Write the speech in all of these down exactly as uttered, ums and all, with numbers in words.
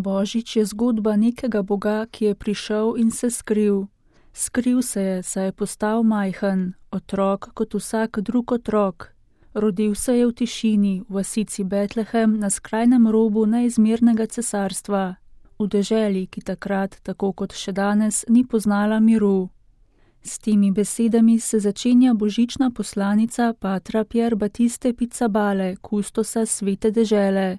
Božič je zgodba nekega Boga, ki je prišel in se skril. Skril se je, saj je postal majhen, otrok kot vsak drug otrok. Rodil se je v tišini, v vasici Betlehem na skrajnem robu neizmernega cesarstva, v deželi, ki takrat, tako kot še danes, ni poznala miru. S temi besedami se začenja božična poslanica patra Pier Battiste Pizzabale, kustosa svete dežele.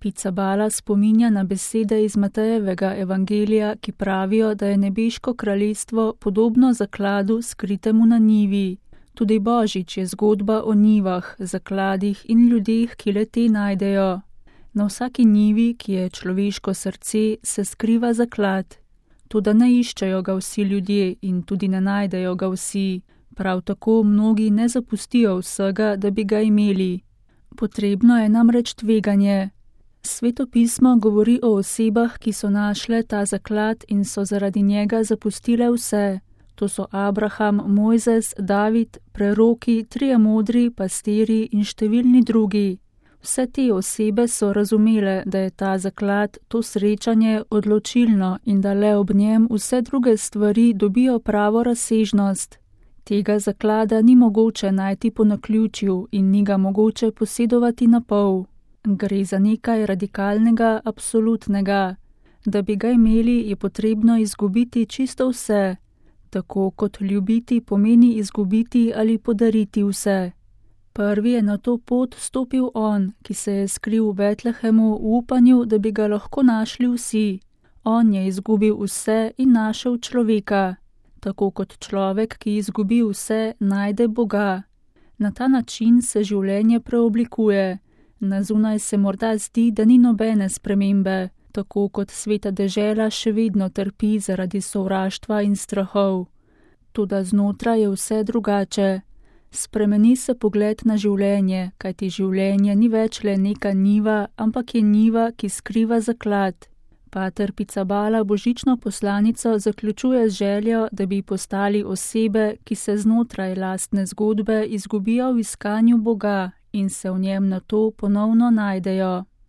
Pizzabala spominja na besede iz Matejevega evangelija, ki pravijo, da je nebeško kraljestvo podobno zakladu skritemu na njivi. Tudi Božič je zgodba o njivah, zakladih in ljudeh, ki le te najdejo. Na vsaki njivi, ki je človeško srce, se skriva zaklad. Toda ne iščejo ga vsi ljudje in tudi ne najdejo ga vsi. Prav tako mnogi ne zapustijo vsega, da bi ga imeli. Potrebno je namreč tveganje. Sveto pismo govori o osebah, ki so našle ta zaklad in so zaradi njega zapustile vse. To so Abraham, Mojzes, David, preroki, trije modri, pastiri in številni drugi. Vse te osebe so razumele, da je ta zaklad, to srečanje odločilno in da le ob njem vse druge stvari dobijo pravo razsežnost. Tega zaklada ni mogoče najti po naključju in ni ga mogoče posedovati na pol. Gre za nekaj radikalnega, absolutnega. Da bi ga imeli, je potrebno izgubiti čisto vse. Tako kot ljubiti pomeni izgubiti ali podariti vse. Prvi je na to pot stopil on, ki se je skril v Betlehemu v upanju, da bi ga lahko našli vsi. On je izgubil vse in našel človeka. Tako kot človek, ki izgubi vse, najde Boga. Na ta način se življenje preoblikuje. Na zunaj se morda zdi, da ni nobene spremembe, tako kot sveta dežela še vedno trpi zaradi sovraštva in strahov. Toda znotraj je vse drugače. Spremeni se pogled na življenje, kajti življenje ni več le neka njiva, ampak je njiva, ki skriva zaklad. Pater Pizzabala božično poslanico zaključuje z željo, da bi postali osebe, ki se znotraj lastne zgodbe izgubijo v iskanju Boga in se v njem nato ponovno najdejo.